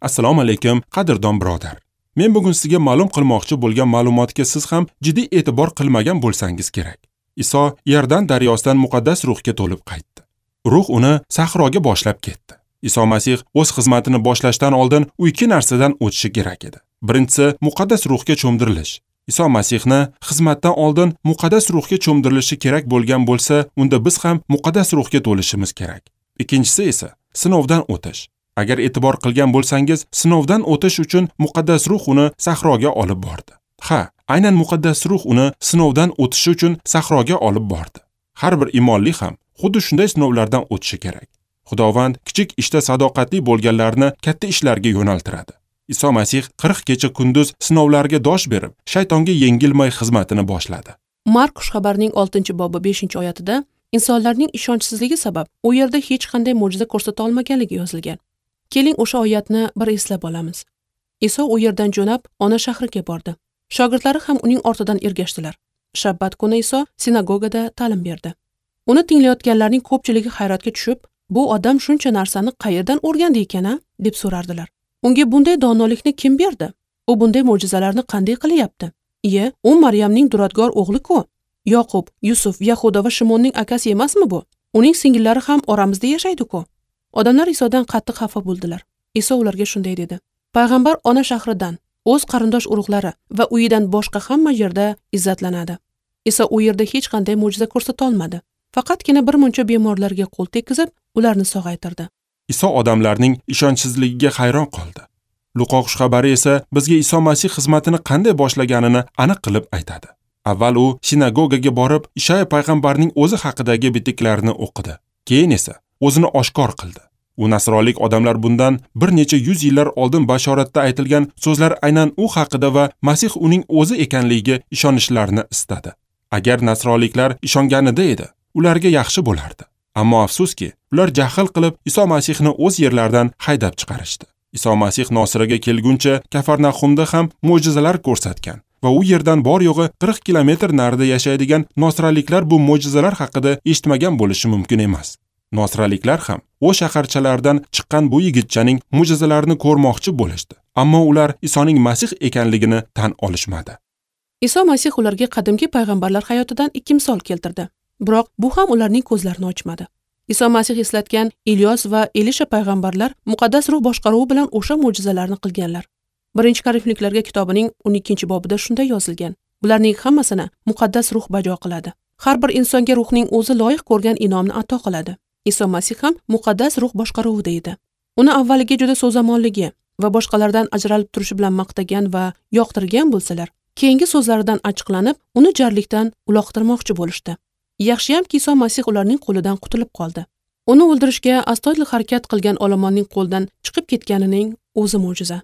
Assalomu alaykum, qadrdon birodar. Men bugun sizga ma'lum qilmoqchi bo'lgan ma'lumotga siz ham jiddiy e'tibor qilmagan bo'lsangiz kerak. Iso Iordan daryosidan muqaddas ruhga to'lib qaytdi. Ruh uni sahroga boshlab ketdi. Iso Masih o'z xizmatini boshlashdan oldin u ikki narsadan o'tishi kerak edi. Birinchisi muqaddas ruhga cho'mdirilish. Iso Masihni xizmatdan oldin muqaddas ruhga cho'mdirilishi kerak bo'lgan bo'lsa, unda biz ham muqaddas ruhga to'lishimiz kerak. Ikkinchisi esa sinovdan o'tish. Agar e'tibor qilgan bo'lsangiz, sinovdan o'tish uchun muqaddas ruh uni sahroga olib bordi. Ha, aynan muqaddas ruh uni sinovdan o'tishi uchun sahroga olib bordi. Har bir iymonli ham xuddi shunday sinovlardan o'tishi kerak. Xudovand kichik ishda sadoqatli bo'lganlarni katta ishlarga yo'naltiradi. Iso Masih 40 kecha kunduz sinovlarga dosh berib, shaytonga yengilmay xizmatini boshladi. Mark xushxabarning 6-bobi 5-oyatida insonlarning ishonchsizligi sabab u yerda hech qanday mo'jiza ko'rsata olmaganligi yozilgan. Keling o'sha oyatni bir eslab olamiz. Iso u yerdan jo'nab ona shahriga bordi. Shogirdlari ham uning ortidan ergashdilar. Shabbat kuni Iso sinagogada ta'lim berdi. Uni tinglayotganlarning ko'pchiligi hayratga tushib, bu odam shuncha narsani qayerdan o'rgandi ekan-a, deb so'rardilar. Unga bunday donolikni kim berdi? U bunday mo'jizalarni qanday qilyapti? Iye, u Maryamning duradgor o'g'li-ku. Yoqub, Yusuf, Yahuda va Shimonning akasi emasmi bu? Uning singillari ham oramizda yashaydi-ku. Odamlar Isodan qattiq xafa bo'ldilar. Iso ularga shunday dedi: Payg'ambar ona shahridan, o'z qarindosh urug'lari va uyidan boshqa hamma yerda izzatlanadi. Iso u yerda hech qanday mo'jiza ko'rsata olmadi. Faqatgina bir muncha bemorlarga qo'l tekkizib, ularni sog'aytirdi. Iso odamlarning ishonchsizligiga hayron qoldi. Luqo xushxabari esa bizga Iso Masih xizmatini qanday boshlaganini aniq qilib aytadi. Avval u sinagogaga borib, Ishoya payg'ambarning o'zi haqidagi bitiklarni o'qidi. Keyin esa o'zini oshkor qildi. U nasronlik odamlar bundan bir necha yuz yillar oldin bashoratda aytilgan so'zlar aynan u haqida va Masih uning o'zi ekanligiga ishonishlarini istadi. Agar nasronliklar ishonganida edi, ularga yaxshi bo'lardi. Ammo afsuski, ular jahl qilib Iso Masihni o'z yerlaridan haydab chiqarishdi. Iso Masih Nosiraga kelguncha Kafarnahumda ham mo'jizalar ko'rsatgan va u yerdan bor yo'g'i 40 kilometr narida yashaydigan nosraliklar bu mo'jizalar haqida eshitmagan bo'lishi mumkin emas. Nosraliklar ham o shaharchalardan chiqqan bu yigitchaning mo'jizalarini ko'rmoqchi bo'lishdi, ammo ular Isoning Masih ekanligini tan olishmadi. Iso Masih ularga qadimgi payg'ambarlar hayotidan ikki misol keltirdi. Biroq bu ham ularning ko'zlarini ochmadi. Iso Masih eslatgan Ilyos va Elisha payg'ambarlar muqaddas ruh boshqaruvi bilan o'sha mo'jizalarni qilganlar. 1-Korinfliklarga kitobining 12-bobida shunday yozilgan: Bularning hammasini muqaddas ruh bajo qiladi. Har bir insonga ruhning o'zi loyiq ko'rgan inomni ato qiladi. Iso Masih ham muqaddas ruh boshqaruvida edi. Uni avvaliga juda so'zamonligi va boshqalardan ajralib turishi bilan maqtagan va yoqtirgan bo'lsalar, keyingi so'zlaridan achchiqlanib, uni jarlikdan uloqtirmoqchi bo'lishdi. Yaxshiyamki Iso Masih ularning qo'lidan qutulib qoldi. Uni o'ldirishga astoydil harakat qilgan olomonning qo'ldan chiqib ketganining o'zi mo'jiza.